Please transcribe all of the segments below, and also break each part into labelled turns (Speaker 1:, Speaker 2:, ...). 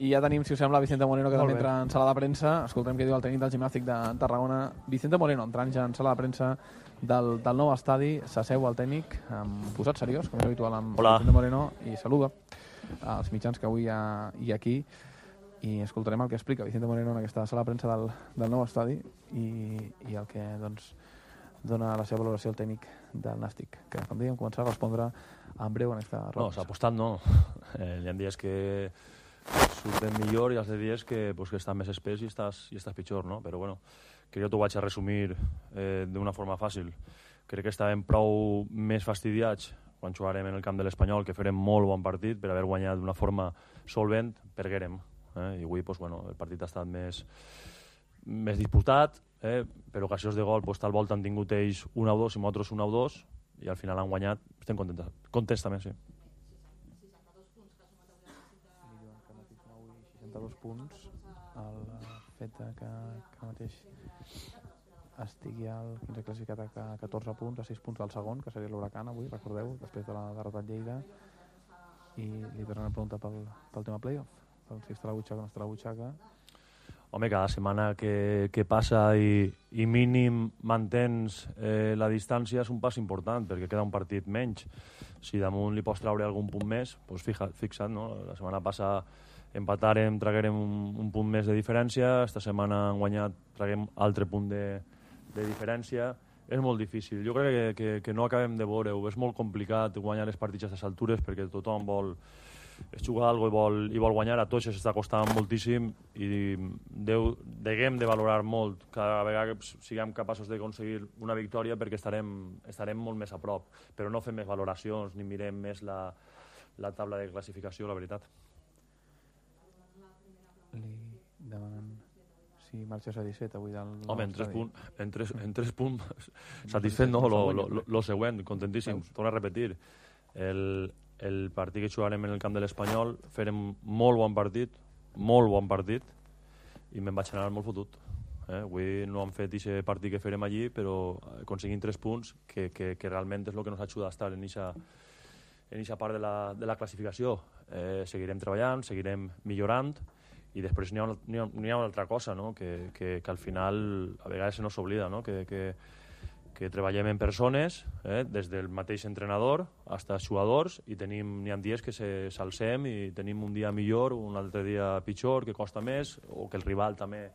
Speaker 1: I ja tenim, si us sembla, Vicente Moreno, que també entra en sala de premsa. Escoltem què diu el tècnic del Gimnàstic de Tarragona. Vicente Moreno, entrant ja en sala de premsa del nou estadi. S'asseu el tècnic, posat seriós, com és habitual amb Vicente Moreno, i saluda als mitjans que avui hi ha aquí. I escoltarem el que explica Vicente Moreno en aquesta sala de premsa del nou estadi i el que dona la seva valoració al tècnic del Nàstic, que, com dèiem, començarà a respondre en breu en aquesta roda.
Speaker 2: No, s'ha apostat, no. Hi ha dies que surten millor i els dies que estan més espès i estàs pitjor, no? Però bueno, que jo t'ho vaig a resumir d'una forma fàcil. Crec que estàvem prou més fastidiats quan jugarem en el camp de l'Espanyol, que farem molt bon partit per haver guanyat d'una forma solvent, perguérem. I avui el partit ha estat més disputat, per ocasions de gol tal volta han tingut ells 1-2 i nosaltres 1-2 i al final han guanyat. Estem contents també, sí.
Speaker 1: 62 punts, el fet que mateix estigui al 15 classificat a 14 punts, a 6 punts del segon, que seria l'Huracan avui, recordeu, després de la derrota de Lleida. I li tornem a preguntar pel tema playoff, pel si estarà a la butxaca o no estarà a la butxaca.
Speaker 2: Home, cada setmana que passa i mínim mantens la distància és un pas important, perquè queda un partit menys. Si damunt li pots traure algun punt més, doncs fixa't, no? La setmana passada empatarem, traguerem un punt més de diferència, esta setmana han guanyat, traguem altre punt de diferència. És molt difícil. Jo crec que no acabem de veure-ho. És molt complicat guanyar els partits a aquestes altures perquè tothom vol jugar alguna cosa i vol guanyar. A tots s'està costant moltíssim i deguem de valorar molt cada vegada que siguem capaços d'aconseguir una victòria perquè estarem molt més a prop. Però no fem més valoracions ni mirem més la taula de classificació, la veritat.
Speaker 1: Li demanen si marxes a 17 avui del...
Speaker 2: Home, en 3 punts satisfet, no? Lo següent, contentíssim. Torno a repetir. El partit que jugarem en el camp de l'Espanyol farem molt bon partit i me'n vaig anar molt fotut. Avui no hem fet aquest partit que farem allí, però aconseguim 3 punts que realment és el que ens ajuda a estar en aquesta part de la classificació. Seguirem treballant, seguirem millorant i després n'hi ha una altra cosa, no? que al final a vegades se nos oblida, no? que treballem en persones, des del mateix entrenador fins als jugadors, i n'hi ha dies que s'alcem i tenim un dia millor, un altre dia pitjor, que costa més, o que el rival també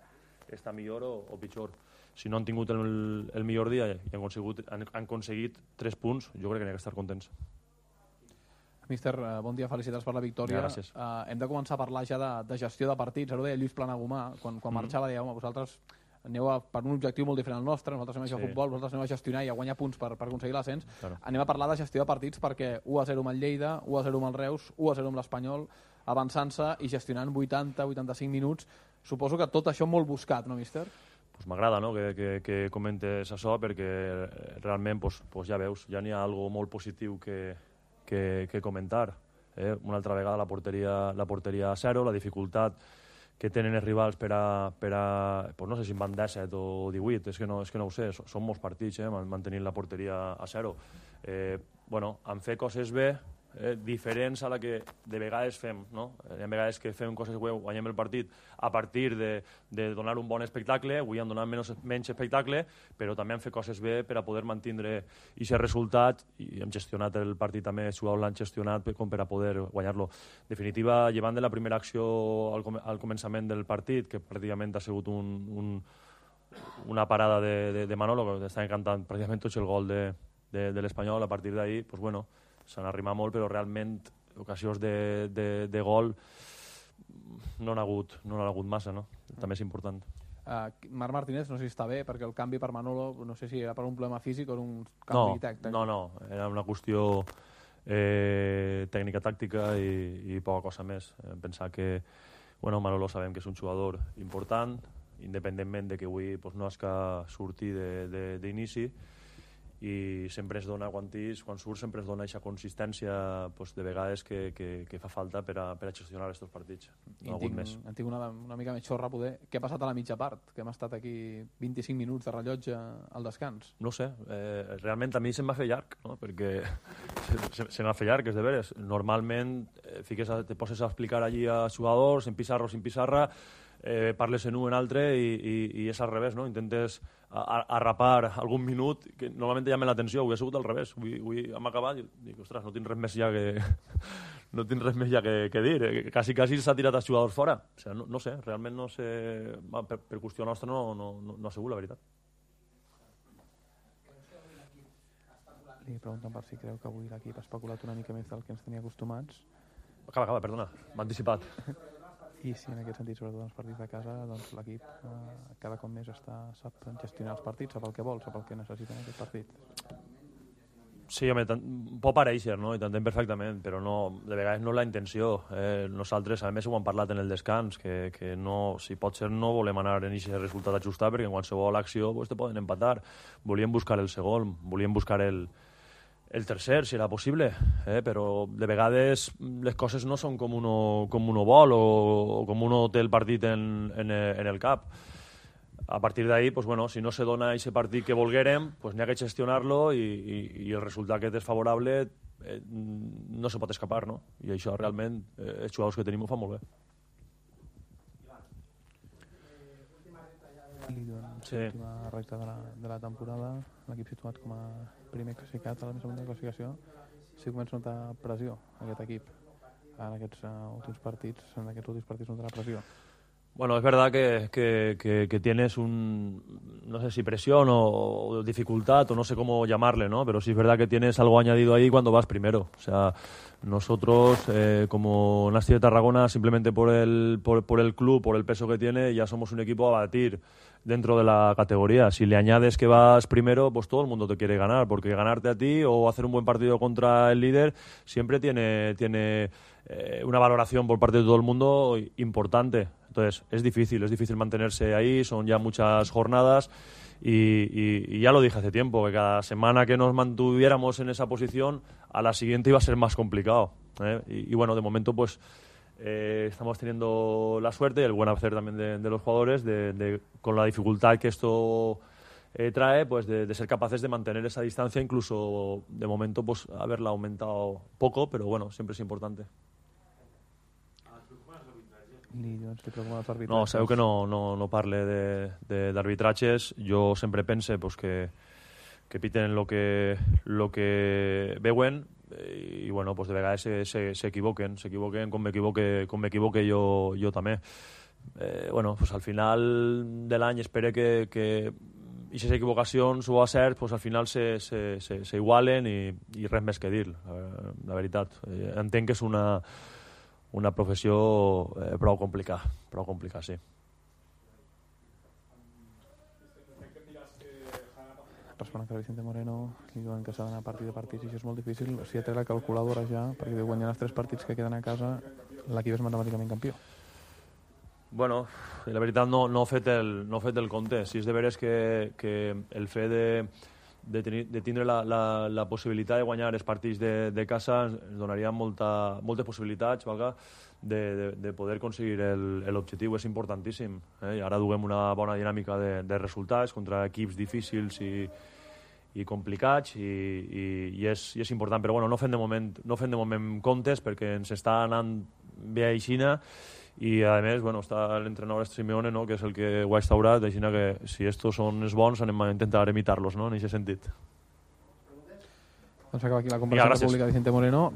Speaker 2: està millor o pitjor. Si no han tingut el millor dia i han aconseguit 3 punts, jo crec que n'hi ha que estar contents.
Speaker 1: Míster, bon dia, felicitats per la victòria.
Speaker 2: Gràcies.
Speaker 1: Hem de començar a parlar ja de gestió de partits. Ara ho deia Lluís Planagumà, quan marxava deia, home, vosaltres aneu per un objectiu molt diferent al nostre, nosaltres anem a jugar a futbol, vosaltres aneu a gestionar i a guanyar punts per aconseguir l'ascens. Claro. Anem a parlar de gestió de partits perquè 1-0 amb el Lleida, 1-0 amb el Reus, 1-0 amb l'Espanyol, avançant-se i gestionant 80-85 minuts. Suposo que tot això molt buscat, no, míster?
Speaker 2: Pues m'agrada, no?, que comentes això, perquè realment ja veus, ja n'hi ha algo molt positiu que comentar. Una altra vegada la porteria a 0, la dificultat que tenen els rivals per a no sé si en van 17 o 18, és que no ho sé, són molts partits mantenint la porteria a 0. En fer coses bé, diferents a la que de vegades fem, no? Hi ha vegades que fem coses bé, guanyem el partit a partir de donar un bon espectacle, avui han donat menys espectacle, però també han fet coses bé per a poder mantindre aquest resultat, i hem gestionat el partit també, els jugadors l'han gestionat com per a poder guanyar-lo. En definitiva, llevant de la primera acció al començament del partit, que pràcticament ha sigut una parada de Manolo, que està encantant pràcticament tot el gol de l'Espanyol, a partir d'ahir, doncs bueno, s'han arrimat molt, però realment ocasions de gol no n'ha hagut massa, no? També és important.
Speaker 1: Marc Martínez no sé si està bé, perquè el canvi per Manolo no sé si era per un problema físic o un canvi tècnic.
Speaker 2: No, era una qüestió tècnica tàctica i poca cosa més. Pensar que Manolo sabem que és un jugador important, independentment de que avui no és que surti d'inici, i sempre es dona, quan surt, sempre es dona aquesta consistència de vegades que fa falta per a gestionar aquests partits. No
Speaker 1: en tinc una mica més xorra, poder. Què ha passat a la mitja part? Que hem estat aquí 25 minuts de rellotge al descans.
Speaker 2: No sé, realment a mi se'm va fer llarg, no? Perquè se m'ha fet llarg, és de veres. Normalment te poses a explicar allí a jugadors, en pissarra o sin pissarra, parles en un, en altre i és al revés, no? Intentes arrapar algun minut que normalment llamen l'atenció. Avui ha sigut al revés. Avui hem acabat i dic, ostres, no tinc res més ja que dir. Quasi s'ha tirat els jugadors fora. O sigui, no sé, realment no sé. Per qüestió nostra no ha sigut, la veritat.
Speaker 1: Li pregunten per si creu que avui l'equip ha especulat una mica més del que ens tenia acostumats.
Speaker 2: Acaba, perdona, m'ha anticipat.
Speaker 1: I si en aquest sentit, sobretot en els partits de casa, doncs l'equip cada cop més sap gestionar els partits, sap el que vol, sap el que necessita en aquest partit.
Speaker 2: Sí, home, pot parèixer, no? I t'entenc perfectament, però de vegades no és la intenció. Nosaltres, a més, ho hem parlat en el descans, que no, si pot ser, no volem anar en aquest resultat ajustat, perquè en qualsevol acció te poden empatar. Volíem buscar el segon, volíem buscar el tercer, si era possible, però de vegades les coses no són com uno vol o com uno té el partit en el cap. A partir d'ahí, pues bueno, si no se dona aquest partit que volguérem, pues n'hi ha que gestionar-lo i el resultat que és desfavorable no se pot escapar, no? I això realment els jugadors que tenim ho fan molt bé.
Speaker 1: L'última recta de la temporada, l'equip situat com a primer classificat a la més amunt de classificació, si comença a notar pressió aquest equip en aquests últims partits notarà pressió.
Speaker 2: Bueno, es verdad que tienes no sé si presión o dificultad o no sé cómo llamarle, ¿no? Pero sí es verdad que tienes algo añadido ahí cuando vas primero. O sea, nosotros como Nasti de Tarragona, simplemente por el club, por el peso que tiene, ya somos un equipo a batir dentro de la categoría. Si le añades que vas primero, pues todo el mundo te quiere ganar, porque ganarte a ti o hacer un buen partido contra el líder siempre tiene una valoración por parte de todo el mundo importante. Entonces, es difícil mantenerse ahí, son ya muchas jornadas y ya lo dije hace tiempo, que cada semana que nos mantuviéramos en esa posición, a la siguiente iba a ser más complicado. Y bueno, de momento pues estamos teniendo la suerte y el buen hacer también de los jugadores, con la dificultad que esto trae, pues de ser capaces de mantener esa distancia, incluso de momento pues haberla aumentado poco, pero bueno, siempre es importante. No, sabeu que no parle d'arbitratges. Jo sempre pense pues, que piten lo que veuen i bueno, pues de vegades s'equivoquen com m'equivoque jo també. Bueno, pues al final de l'any espero que aquestes equivocacions o acerts pues al final s'igualen i res més que dir, la veritat. Entenc que és una professió prou complicada, sí.
Speaker 1: Responent que Vicente Moreno li diuen que s'ha d'anar partit de partits i això és molt difícil. Si ja té la calculadora ja, perquè guanyant els 3 partits que queden a casa, l'equip és matemàticament campió.
Speaker 2: Bueno, la veritat no he fet el compte. Si és de veres que el fet de tindre la possibilitat de guanyar els partits de casa ens donaria moltes possibilitats, valga, de poder aconseguir l'objectiu. És importantíssim. I ara duguem una bona dinàmica de resultats contra equips difícils i complicats i és important, però bueno, no fem de moment comptes perquè ens està anant bé a Xina i a més bueno, està l'entrenador Simeone, no? Que és el que ho ha instaurat, així que si estos són els bons anem a intentar imitar-los, no? En aquest sentit.
Speaker 1: Doncs acaba aquí la conversació pública de Vicente Moreno.